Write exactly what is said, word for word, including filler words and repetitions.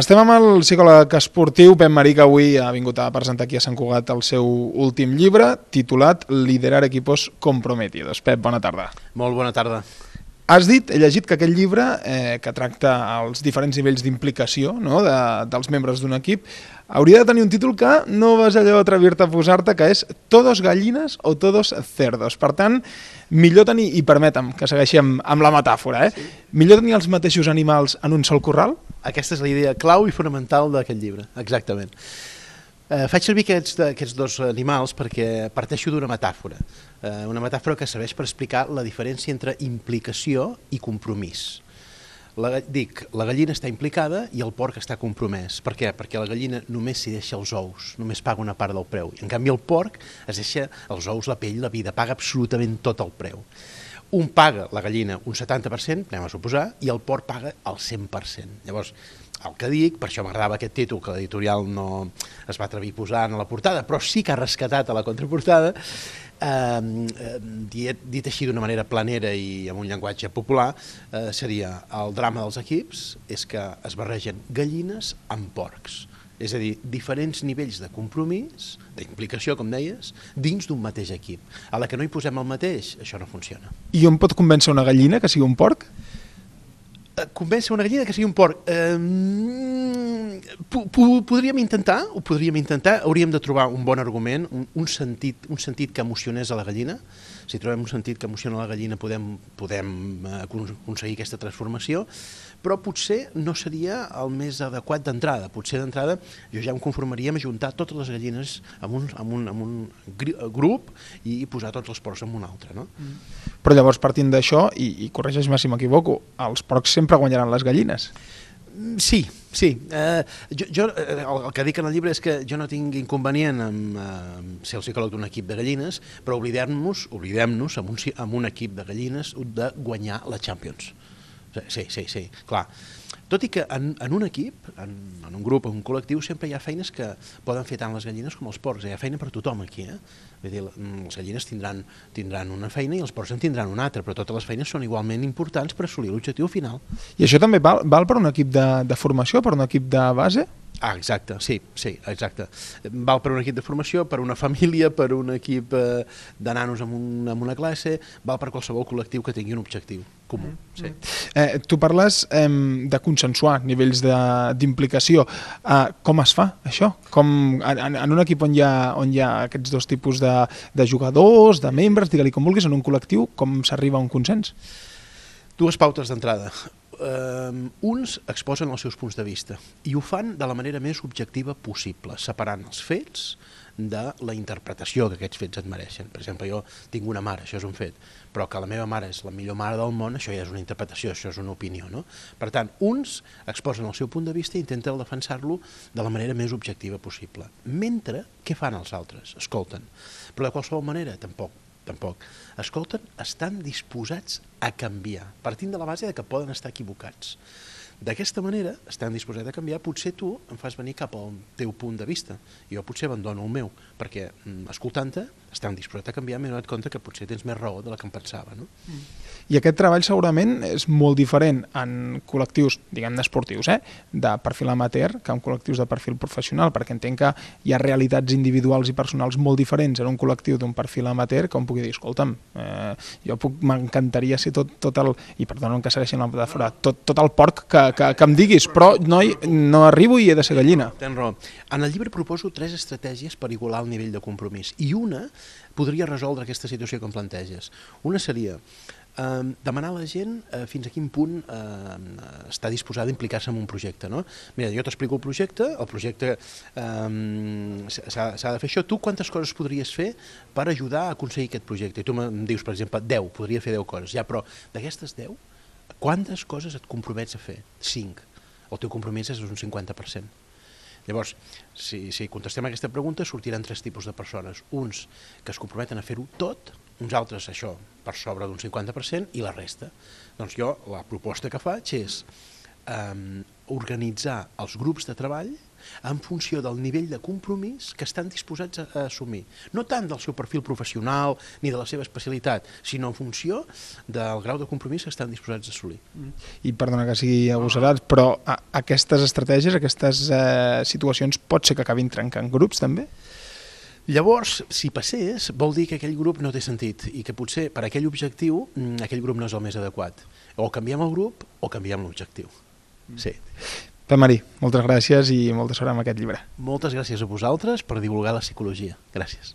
Estem amb el psicòleg esportiu Pep Marí, que avui ha vingut a presentar aquí a Sant Cugat el seu últim llibre, titulat Liderar equipos comprometidos. Pep, bona tarda. Molt bona tarda. Has dit, he llegit que aquest llibre, eh, que tracta els diferents nivells d'implicació, no?, de, dels membres d'un equip, hauria de tenir un títol que no vas allò atrevir-te a posar-te, que és Todos gallines o todos cerdos. Per tant, millor tenir, i permetem que segueixi amb, amb la metàfora, eh? Sí. Millor tenir els mateixos animals en un sol corral? Aquesta és la idea clau i fonamental d'aquest llibre, exactament. Eh, faig servir aquests, aquests dos animals perquè parteixo d'una metàfora, eh, una metàfora que serveix per explicar la diferència entre implicació i compromís. La, dic, la gallina està implicada i el porc està compromès. Per què? Perquè la gallina només s'hi deixa els ous, només paga una part del preu. En canvi el porc es deixa els ous, la pell, la vida, paga absolutament tot el preu. Un paga, la gallina, un setanta per cent, anem a suposar, i el porc paga el cent per cent. Llavors, el que dic, per això m'agradava aquest títol, que l'editorial no es va atrevir a posar a la portada, però sí que ha rescatat a la contraportada, eh, dit, dit així d'una manera planera i amb un llenguatge popular, eh, seria el drama dels equips és que es barregen gallines amb porcs. És a dir, diferents nivells de compromís, d'implicació, com deies, dins d'un mateix equip. A la que no hi posem el mateix, això no funciona. I on pot convèncer una gallina que sigui un porc? Convèncer una gallina que sigui un porc? Eh, podríem intentar, ho podríem intentar, hauríem de trobar un bon argument, un, un, sentit, un sentit que emocionés a la gallina. Si trobem un sentit que emociona a la gallina podem, podem aconseguir aquesta transformació, però potser no seria el més adequat d'entrada. Potser d'entrada jo ja em conformaria amb ajuntar totes les gallines en un, en un, en un grup i posar tots els porcs en un altre. No? Mm. Però llavors, partint d'això, i, i corregeix-me si m'equivoco, els porcs sempre guanyaran les gallines. Sí, sí. Eh, jo, jo, el que dic en el llibre és que jo no tinc inconvenient amb eh, ser el psicòleg d'un equip de gallines, però oblidem-nos oblidem-nos amb, un, amb un equip de gallines de guanyar la Champions. Sí, sí, sí, clar. Tot i que en, en un equip, en, en un grup, en un col·lectiu, sempre hi ha feines que poden fer tant les gallines com els porcs. Hi ha feina per tothom aquí. Eh? Vull dir, les gallines tindran, tindran una feina i els porcs en tindran una altra, però totes les feines són igualment importants per assolir l'objectiu final. I això també val, val per un equip de, de formació, per un equip de base? Ah, exacte, sí, sí, exacte. Val per un equip de formació, per una família, per un equip eh, de nanos en, un, en una classe, val per qualsevol col·lectiu que tingui un objectiu comú. Sí. Eh, tu parles eh, de consensuar nivells d'implicació. Eh, com es fa, això? Com, en, en un equip on hi ha, on hi ha aquests dos tipus de, de jugadors, de membres, digue-li com vulguis, en un col·lectiu, com s'arriba a un consens? Dues pautes d'entrada. Uh, uns exposen els seus punts de vista i ho fan de la manera més objectiva possible, separant els fets de la interpretació que aquests fets et mereixen. Per exemple, jo tinc una mare, això és un fet, però que la meva mare és la millor mare del món, això ja és una interpretació, això és una opinió. No? Per tant, uns exposen el seu punt de vista i intenten defensar-lo de la manera més objectiva possible. Mentre, què fan els altres? Escolten. Però de qualsevol manera, tampoc. Tampoc. Escolten, estan disposats a canviar, partint de la base de que poden estar equivocats. D'aquesta manera, estan disposats a canviar, potser tu em fas venir cap al teu punt de vista, i jo potser abandono el meu, perquè escoltant-te, estan disposats a canviar, m'he donat compte que potser tens més raó de la que em pensava. No? I aquest treball segurament és molt diferent en col·lectius, diguem-ne esportius, eh? de perfil amateur, que en col·lectius de perfil professional, perquè entenc que hi ha realitats individuals i personals molt diferents en un col·lectiu d'un perfil amateur, que on pugui dir, escolta'm, eh, jo m'encantaria ser tot, tot el, i perdona que segueixin la metàfora, tot, tot el porc que, que, que em diguis, però no, no arribo i he de ser gallina. Tens raó. En el llibre proposo tres estratègies per igualar el nivell de compromís, i una podria resoldre aquesta situació que em planteges. Una seria eh, demanar a la gent eh, fins a quin punt eh, està disposada a implicar-se en un projecte. No? Mira, jo t'explico el projecte, el projecte eh, s'ha de fer això. Tu quantes coses podries fer per ajudar a aconseguir aquest projecte? I tu em dius, per exemple, deu, podria fer deu coses. Ja, però d'aquestes deu, quantes coses et compromets a fer? cinc. El teu compromís és un cinquanta per cent. Llavors, si, si contestem a aquesta pregunta, sortiran tres tipus de persones. Uns que es comprometen a fer-ho tot, uns altres això, per sobre d'un cinquanta per cent, i la resta. Doncs jo, la proposta que faig és eh, organitzar els grups de treball en funció del nivell de compromís que estan disposats a, a assumir. No tant del seu perfil professional ni de la seva especialitat, sinó en funció del grau de compromís que estan disposats a assolir. I perdona que sigui agosarat, però a, aquestes estratègies, aquestes eh, situacions, pot ser que acabin trencant grups també? Llavors, si passés, vol dir que aquell grup no té sentit i que potser per aquell objectiu aquell grup no és el més adequat. O canviem el grup o canviem l'objectiu. Sí. Pep Marí, moltes gràcies i molta sort amb aquest llibre. Moltes gràcies a vosaltres per divulgar la psicologia. Gràcies.